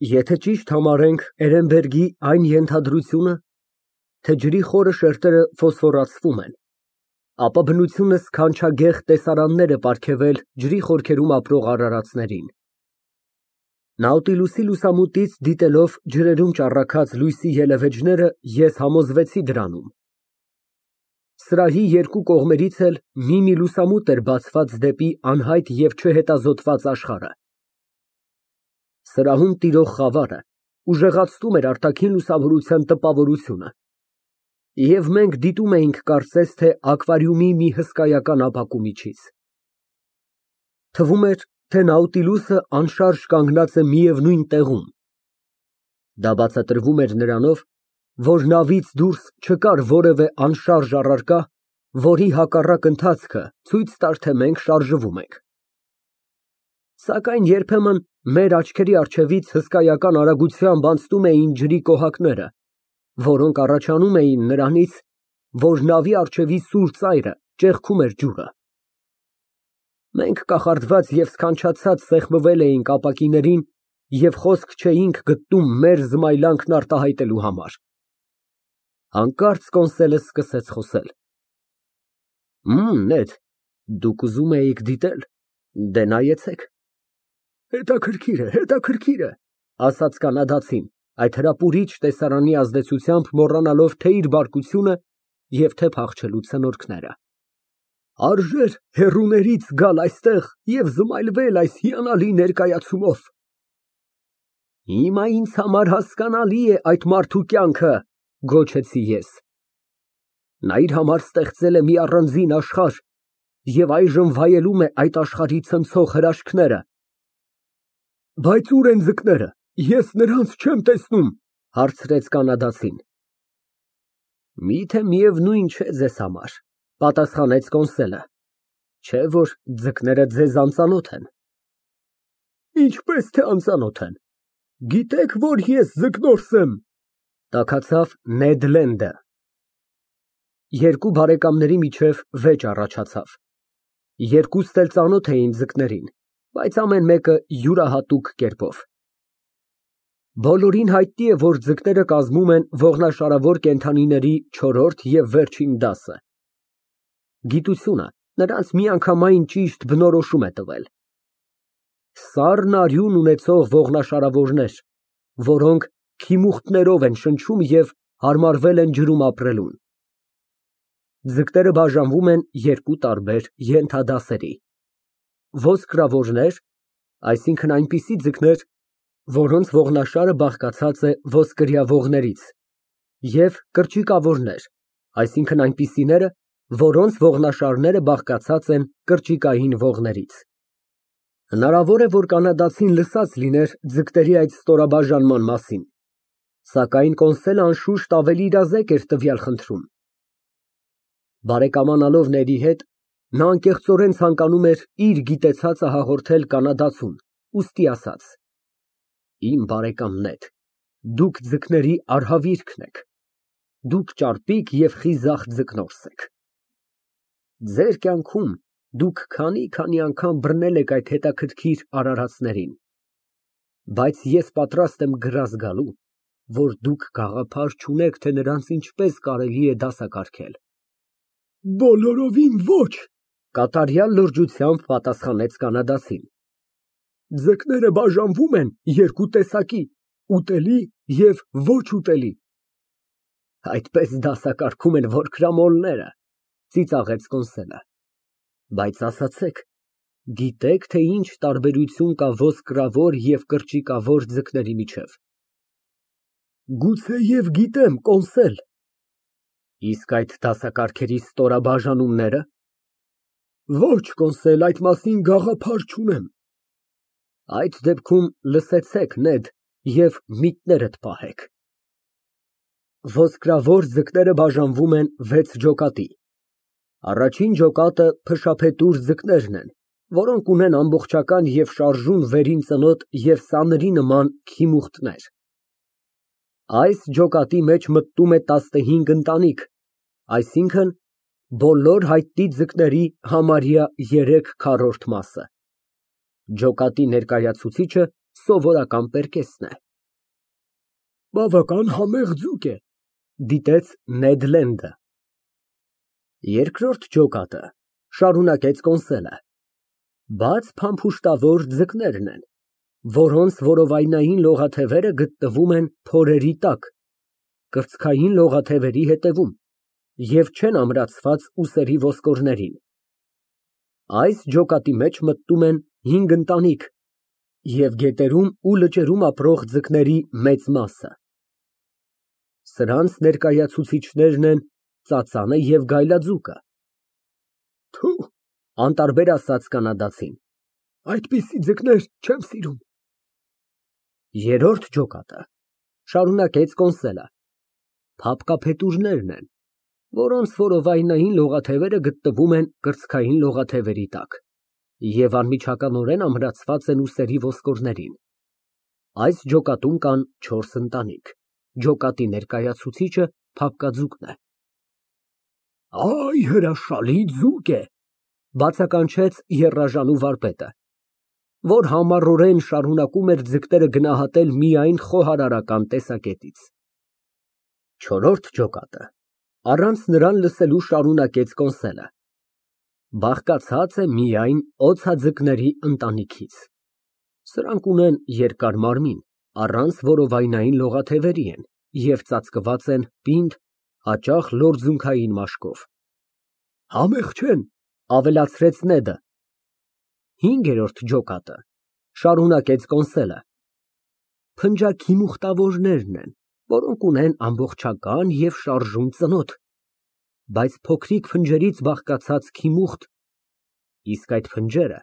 Եթե ճիշտ համարենք Էրենբերգի այն ենթադրությունը, թե ջրի խորը շերտերը ֆոսֆորացվում են, ապա բնությունը սքանչագեղ տեսարաններ է պարգևել ջրի խորքերում ապրող արարածներին։ Նաուտիլուսի լուսամուտից դիտելով ջրերում ճառագած լույսի ելևէջները, ես համոզվեցի դրանում։ Սրահի երկու կողմերից էլ մի լուսամուտ էր բացված դեպի անհայտ և չհետազոտված աշխարհը։ Սրահում տիրող խավարը ուժեղացնում էր արտաքին լուսավորության տպավորությունը, և մենք դիտում էինք կարծես թե ակվարիումի մի հսկայական ապակու միջից։ Թվում էր, թե Նաուտիլուսը անշարժ կանգնած է միևնույն տեղում։ Դա բացատրվում էր նրանով, որ նավից դուրս չկար որևէ անշարժ առարկա, որի հակառակ ընթացքը ցույց տար, թե մենք շարժվում ենք։ Սակայն երբեմն մեր աչքերի առջևից հսկայական արագությամբ անցնում էին ջրի կոհակները, որոնք առաջանում էին նրանից, որ նավի առջևի սուր ծայրը ճեղքում էր ջուրը։ Մենք կախարդված և սքանչացած սեղմվել էինք ապակիներին և խոսք չէինք գտնում մեր զմայլանքն արտահայտելու համար։ Հանկարծ կոնսոլը սկսեց խոսել։ Նեթ, դուք ուզում էիք դիտել, դե նայեցեք։ Հետաքրքիր է, ասաց կանադացին, այդ հրապուրիչ տեսարանի ազդեցությամբ մոռանալով թե իր բարկությունը և թե փախչելու ցնորքները։ Արժեր հեռուներից գալ այստեղ և զմայլվել այս հիանալի ներկայացումով։ Հիմա ինձ համար հասկանալի է այդ մարդու կյանքը, գոչեցի ես։ Նա իր համար ստեղծել է մի առանձին աշխարհ և այժմ վայելում է այդ աշխարհի ցնցող հրաշքները։ Բայց ո՞ւր են ձկները, ես նրանց չեմ տեսնում, հարցրեց կանադացին։ Միթե միևնույն չէ ձեզ համար, պատասխանեց կոնսոլը, չէ՞ որ ձկները ձեզ անծանոթ են։ Ինչպես թե անծանոթ են, գիտեք, որ ես ձկնորս եմ, տաքացավ Նեդ Լենդը։ Երկու բարեկամների միջև վեճ առաջացավ։ Երկուստ էլ ծանոթ էին ձկներին, բայց ամեն մեկը յուրահատուկ կերպով։ Բոլորին հայտնի է, որ ձկները կազմում են ողնաշարավոր կենդանիների չորրորդ և վերջին դասը։ Գիտությունը նրանց միանգամայն ճիշտ բնորոշում է տվել։ Սառն արյուն ունեցող ողնաշարավորներ, որոնք քիմուխտներով են շնչում և հարմարվել են ջրում ապրելուն։ Ձկները բաժանվում են երկու տարբեր ենթադասերի։ Ոսկրավորներ, այսինքն այնպիսի ձկներ, որոնց ողնաշարը բաղկացած է ոսկրյա ողներից, և կրճիկավորներ, այսինքն այնպիսիները, որոնց ողնաշարները բաղկացած են կրճիկային ողներից։ Հնարավոր է, որ կանադացին լսած լիներ ձկների այդ ստորաբաժանման մասին, սակայն կոնսոլը անշուշտ ավելի իրազեկ էր տվյալ խնդրում։ Բարեկամանալով Նեդի հետ, նա անկեղծորեն ցանկանում էր իր գիտեցածը հաղորդել կանադացուն, ուստի ասաց. Իմ բարեկամ Նեդ, դուք ձկների արհավիրքն եք, դուք ճարպիկ և խիզախ ձկնորս եք։ Ձեր կյանքում դուք քանի անգամ բռնել եք այդ հետաքրքիր արարածներին, բայց ես պատրաստ եմ գրազ գալու, որ դուք գաղափար չունեք, թե նրանց ինչպես կարելի է դասակարգել։ Բոլորովին ոչ, կատարյալ լրջությամբ պատասխանեց կանադացին։ Ձկները բաժանվում են երկու տեսակի, ուտելի և ոչ ուտելի։ Այդպես դասակարգում են որքրամոլները, ծիծաղեց կոնսոլը։ Բայց ասացեք, գիտե՞ք, թե ինչ տարբերություն կա ոսկրավոր և կրճիկավոր ձկների միջև։ Գուցեև գիտեմ, կոնսել։ Իսկ այդ դասակարգերի ստորաբաժանումնե՞րը։ Ոչ, կոնսել, այդ մասին գաղափար չունեմ։ Այդ դեպքում լսեցեք, Նեդ, և միտքներդ պահեք։ Ոսկրավոր ձկները բաժանվում են 6 ջոկատի։ Առաջին ջոկատը փշափետուր ձկներն են, որոնք ունեն ամբողջական և շարժուն վերին ծնոտ և սանրի նման քիմուխտներ։ Այս ջոկատի մեջ մտնում է 15 ընտանիք, այսինքն՝ բոլոր հայտնի ձկների համարյա 3/4 մասը։ Ջոկատի ներկայացուցիչը սովորական պերկեսն է։ Բավական համեղ ձուկ է։ Դիտեց Նեդ Լենդը։ Երկրորդ ջոկատը շարունակեց կոնսոլը։ Բաց փամփուշտավոր ձկներն են, որոնց որովայնային լողաթևերը գտնվում են փորերի տակ, կրծքային լողաթևերի հետևում և չեն ամրացված ուսերի ոսկորներին։ Այս ջոկատի մեջ մտնում են 5 ընտանիք և գետերում ու լճերում ապրող ձկների մեծ մասը։ Սրանց ներկայացուցիչներն են ծածանը և գայլաձուկը։ Թու, Անտարբեր ասաց կանադացին։ այդպիսի ձկներ չեմ սիրում։ Երրորդ ջոկատը շարունակեց կոնսոլը։ Փափկափետուրներն են, որոնց որովայնային լողաթևերը գտնվում են կրծքային լողաթևերի տակ և անմիջականորեն ամրացված են ուսերի ոսկորներին։ Այս ջոկատում կան 4 ընտանիք։ Ջոկատի ներկայացուցիչը փափկաձուկն է։ Այ հրաշալի ձուկ է։ Բացականչեց եռաժանու վարպետը, որ համառորեն շարունակում էր ձկները գնահատել միայն խոհարարական տեսակետից։ Չորրորդ ջոկատը առանց նրան լսելու շարունակեց կոնսոլը։ Բաղկացած է միայն օձաձկների ընտանիքից։ Սրանք ունեն երկար մարմին, առանց որովայնային լողաթևերի են և ծածկված են պինդ, հաճախ լորձունքային մաշկով։ Համեղ չեն, Ավելացրեց Նեդը։ Հինգերորդ ջոկատը շարունակեց կոնսոլը։ Փնջաքի մուխտավորներն են, որոնք ունեն ամբողջական և շարժուն ծնոթ, բայց փոքրիկ փնջերից բաղկացած քիմուխտ, իսկ այդ փնջերը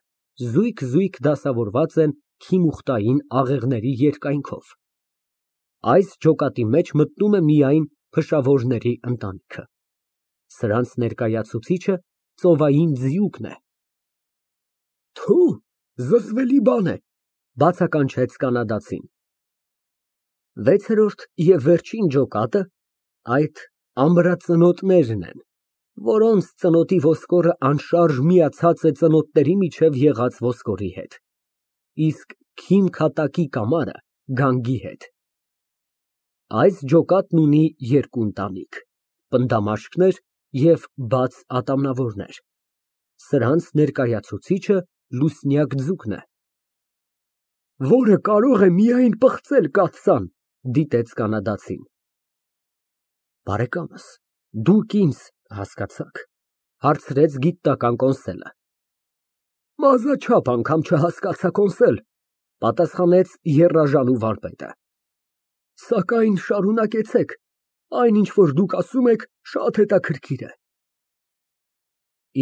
զույգ դասավորված են քիմուխտային աղեղների երկայնքով։ Այս ջոկատի մեջ մտնում է միայն փշավորների ընտանիքը։ Սրանց ներկայացուցիչը ծովային ձիուկն է։ Թու, զզվելի բան է։ Բացականչեց կանադացին։ Վեցերորդ և վերջին ջոկատը այդ ամրածնոտներն են, որոնց ծնոտի ոսկորը անշարժ միացած է ծնոտների միջև եղած ոսկորի հետ, իսկ քիմքատակի կամարը գանգի հետ։ Այս ջոկատն ունի 2 ընտանիք, պնդամաշկներ և բաց ատամնավորներ։ Սրանց ներկայացուցիչը լուսնյակ ձուկն է։ Որը կարող է միայն պղծել կաթսան, Դիտեց կանադացին։ Բարեկամս, դուք ինձ հասկացա՞ք, հարցրեց գիտնական կոնսոլը։ Մազաչափ անգամ չհասկացա կոնսել, Պատասխանեց եռաժանու վարպետը։ սակայն շարունակեցեք, այն ինչ որ դուք ասում եք, շատ հետաքրքիր է։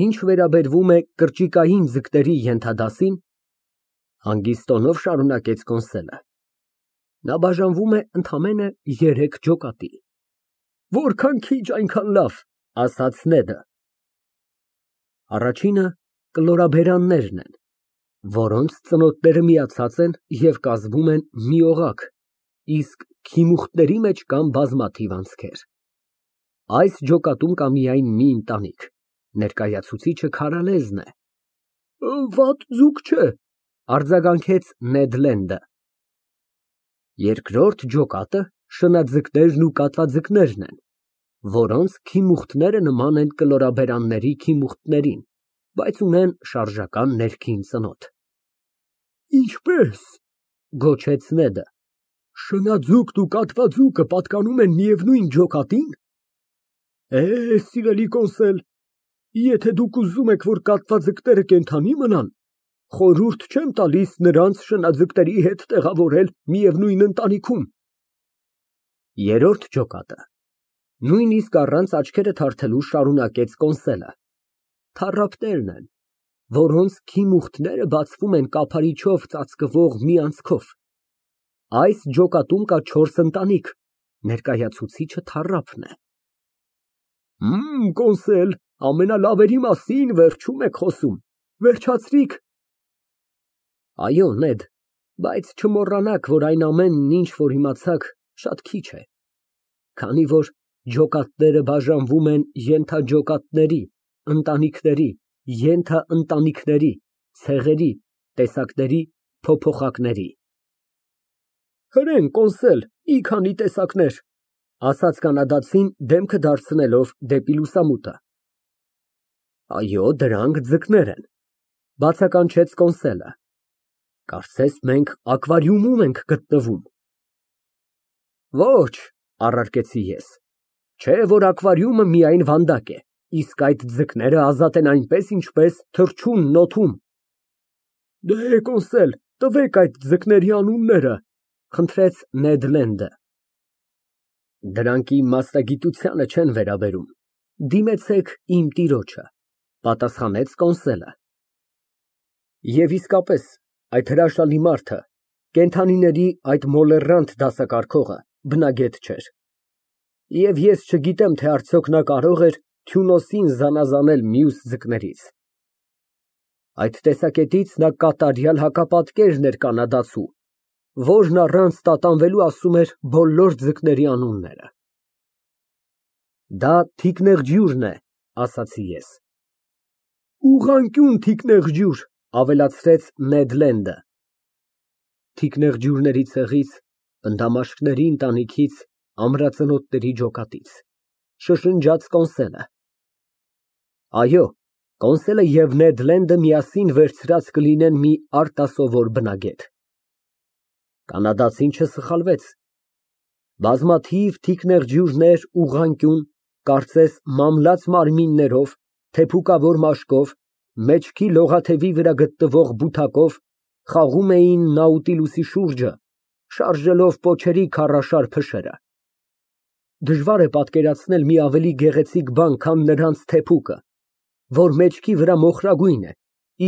Ինչ վերաբերվում է կրճիկային ձկների ենթադասին, հանգիստ տոնով շարունակեց կոնսոլը, նա բաժանվում է ընդամենը 3 ջոկատի։ Որքան քիչ, այնքան լավ, Ասաց Նեդը։ Առաջինը կլորաբերաններն են, որոնց ծնոտները միացած են և կազմում են մի օղակ, իսկ քիմուխտների մեջ կան բազմաթիվ անցքեր։ Այս ջոկատում կա միայն մի ընտանիք, ներկայացուցիչը քարալեզն է։ Վատ ձուկ չէ, Արձագանքեց Նեդ Լենդը։ Երկրորդ ջոկատը շնաձկներն ու կատվաձկներն են, որոնց քիմուխտները նման են կլորաբերանների քիմուխտներին, բայց ունեն շարժական ներքին ծնոթ։ Ինչպե՞ս։ Գոչեց Նեդը։ Շնաձուկն ու կատվաձուկը պատկանում են միևնույն ջոկատի՞ն։ Սիրելի կոնսել, եթե դուք ուզում եք, որ կատվաձկները կենդանի մնան, խորհուրդ չեմ տալիս նրանց շնաձկների հետ տեղավորել միևնույն ընտանիքում։ Երրորդ ջոկատը նույնիսկ առանց աչքերը թարթելու շարունակեց կոնսոլը։ Թառապներն են, որոնց քիմուխտները բացվում են կափարիչով ծածկվող մի անցքով։ Այս ջոկատում կա 4 ընտանիք, ներկայացուցիչը թառափն է։ Կոնսել, ամենալավերի մասին վերջում եք խոսում, վերջացրիք։ Այո, Նեդ, բայց չմոռանաք, որ այն ամենն, ինչ որ իմացաք, շատ քիչ է, քանի որ ջոկատները բաժանվում են ենթաջոկատների, ընտանիքների, ենթաընտանիքների, ցեղերի, տեսակների, փոփոխակների։ Հրեն, կոնսել, Մի քանի տեսակներ, ասաց կանադացին դեմքը դարձնելով դեպի լուսամուտը։ Այո, դրանք ձկներ են, բացականչեց կոնսոլը։ Կարծես մենք ակվարիումում ենք գտնվում։ Ոչ, առարկեցի ես։ Չէ, որ ակվարիումը միայն վանդակ է, իսկ այդ ձկները ազատ են այնպես, ինչպես թռչունն օդում։ Դե, կոնսել, տվեք այդ ձկների անունները, խնդրեց Նեդ Լենդը։ Դրանք իմ մասնագիտությանը չեն վերաբերում, դիմեցեք իմ տիրոջը, պատասխանեց կոնսոլը։ Եվ իսկապես, այդ հրաշալի մարդը, կենդանիների այդ մոլեռանդ դասակարգողը, բնագետ չէր։ Եվ ես չգիտեմ, թե արդյոք նա կարող էր Թյունոսին զանազանել մյուս ձկներից։ Այդ տեսակետից նա կատարյալ հակապատկերն էր կանադացու, որն առանց տատանվելու ասում էր բոլոր ձկների անունները։ Դա թիկնեղջյուրն է, ասացի ես։ Ուղղանկյուն թիկնեղջյուր, ավելացրեց Նեդ Լենդը։ Թիկնեղջյուրների ցեղից, ընդամաշկների ընտանիքից, ամրածնոտների ջոկատից, շշնջաց կոնսոլը։ Այո, կոնսոլը և Նեդ Լենդը միասին վերցրած կլինեն մի արտասովոր բնագետ։ Կանադացին չսխալվեց։ Բազմաթիվ թիկնեղջյուրներ ուղղանկյուն, կարծես մամլած մարմիններով, թեփուկավոր մաշկով, մեջքի լողաթևի վրա գտնվող բութակով խաղում էին Նաուտիլուսի շուրջը, շարժելով պոչերի քարաշար փշերը։ Դժվար է պատկերացնել մի ավելի գեղեցիկ բան, քան նրանց թեփուկը, որ մեջքի վրա մոխրագույն է,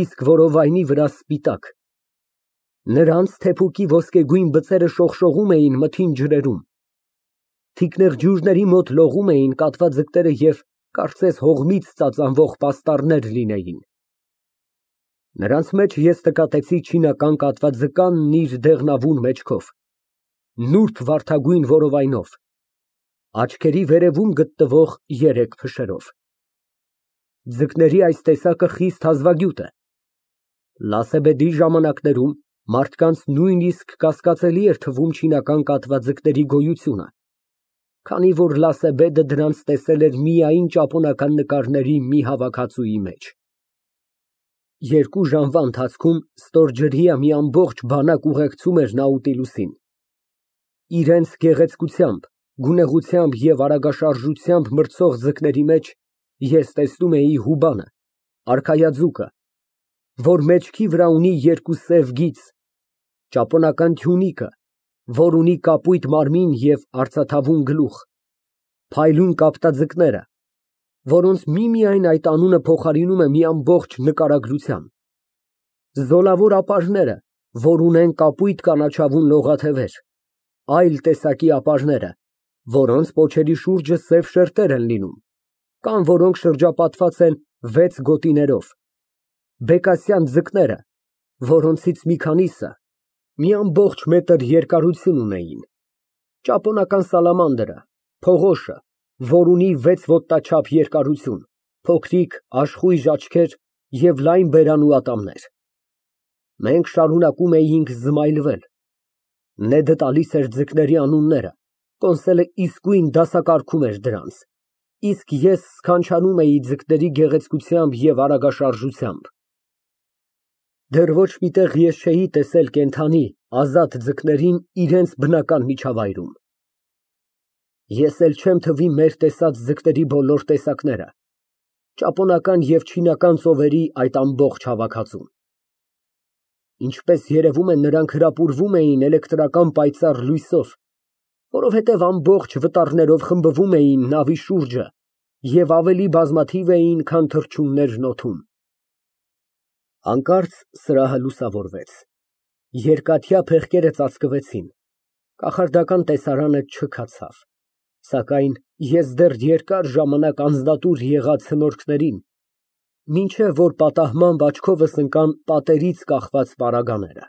իսկ որովայնի վրա սպիտակ։ Նրանց թեփուկի ոսկեգույն բծերը շողշողում էին մթին ջրերում։ Թիկնեղջյուրների մոտ լողում էին կատվաձկները և կարծես հողմից ծածանվող պաստառներ լինեին։ Նրանց մեջ ես նկատեցի չինական կատվաձկանն իր դեղնավուն մեջքով, նուրբ վարդագույն որովայնով, աչքերի վերևում գտնվող երեք փշերով։ Ձկների այս տեսակը խիստ հազվագյուտ է։ Լասեբեդի ժամանակներում մարդկանց նույնիսկ կասկածելի էր թվում չինական կատվաձկների գոյությունը, քանի որ Լասեբեդը դրանց տեսել էր միայն ճապոնական նկարների մի հավաքածուի մեջ։ 2 ժամվա ընթացքում ստորջրյա մի ամբողջ բանակ ուղեկցում էր Նաուտիլուսին։ Իրենց գեղեցկությամբ, գունեղությամբ և արագաշարժությամբ մրցող ձկների մեջ ես տեսնում էի հուբանը, արքայաձուկը, որ մեջքի վրա ունի 2 սև գիծ, ճապոնական թյունիկը, որ ունի կապույտ մարմին և արծաթավուն գլուխ, փայլուն կապտաձկները, որոնց միմիայն այդ անունը փոխարինում է մի ամբողջ նկարագրության, զոլավոր ապարները, որ ունեն կապույտ կանաչավուն լողաթևեր, այլ տեսակի ապարները, որոնց պոչերի շուրջը սև շերտեր են լինում, կան որոնք շրջապատված են 6 գոտիներով, բեկասյան ձկները, որոնցից մի քանիսը մի ամբողջ մետր երկարություն ունեին, ճապոնական սալամանդրը, փողոշը, որ ունի 6 ոտնաչափ երկարություն, փոքրիկ աշխույժ աչքեր և լայն բերան ու ատամներ։ Մենք շարունակում էինք զմայլվել։ Նեդը տալիս էր ձկների անունները, կոնսոլը իսկույն դասակարգում էր դրանց, իսկ ես սքանչանում էի ձկների գեղեցկությամբ և արագաշարժությամբ։ Դեռ ոչ մի տեղ ես չէի տեսել կենդանի, ազատ ձկներին իրենց բնական միջավայրում։ Ես էլ չեմ թվի մեր տեսած ձկների բոլոր տեսակները, ճապոնական և չինական ծովերի այդ ամբողջ հավաքածուն։ Ինչպես երևում է, նրանք հրապուրվում էին էլեկտրական պայծառ լույսով, որովհետև ամբողջ վտարներով խմբվում էին նավի շուրջը և ավելի բազմաթիվ էին, քան թռչուններն օդում։ Հանկարծ սրահը լուսավորվեց, երկաթյա փեղկերը ծածկվեցին, կախարդական տեսարանը չքացավ, սակայն ես դեռ երկար ժամանակ անձնատուր եղա ցնորքներին, մինչև որ պատահմամբ աչքովս ընկան պատերից կախված պարագաները։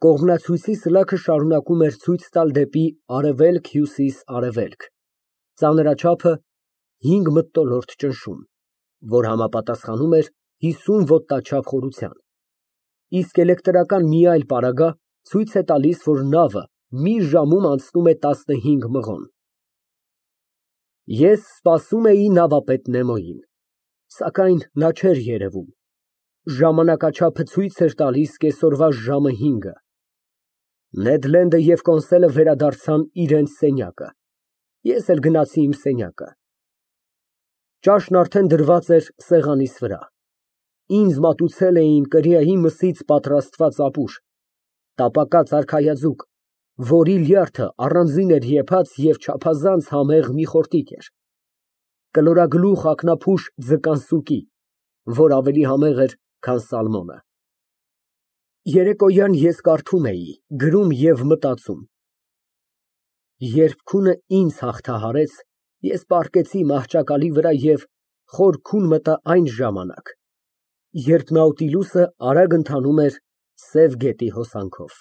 Կողմնացույցի սլաքը շարունակում էր ցույց տալ դեպի արևելք֊հյուսիս֊արևելք, ծանրաչափը 5 մթնոլորտ ճնշում, որ համապատասխանում էր 50 ոտնաչափ խորության, իսկ էլեկտրական մի այլ պարագա ցույց է տալիս, որ նավը մի ժամում անցնում է 15 մղոն։ Ես սպասում էի նավապետ Նեմոյին, սակայն նա չէր երևում։ Ժամանակաչափը ցույց էր տալիս կեսօրվա ժամը 5-ը։ Նեդ Լենդը և Կոնսելը վերադարձան իրենց սենյակը, ես էլ գնացի իմ սենյակը։ Ճաշն արդեն դրված էր սեղանիս վրա։ Ինձ մատուցել էին կրիայի մսից պատրաստված ապուր, տապակած արքայաձուկ, որի լյարդը առանձին էր եփած և չափազանց համեղ մի խորտիկ էր, կլորագլուխ ակնափուշ ձկան սուկի, որ ավելի համեղ էր, քան սալմոնը։ Երեկոյան ես կարդում էի, գրում և մտածում։ Երբ քունը ինձ հաղթահարեց, ես պառկեցի մահճակալի վրա և խոր քուն մտա այն ժամանակ, երբ Նաուտիլուսը արագ ընթանում էր Սև գետի հոսանքով։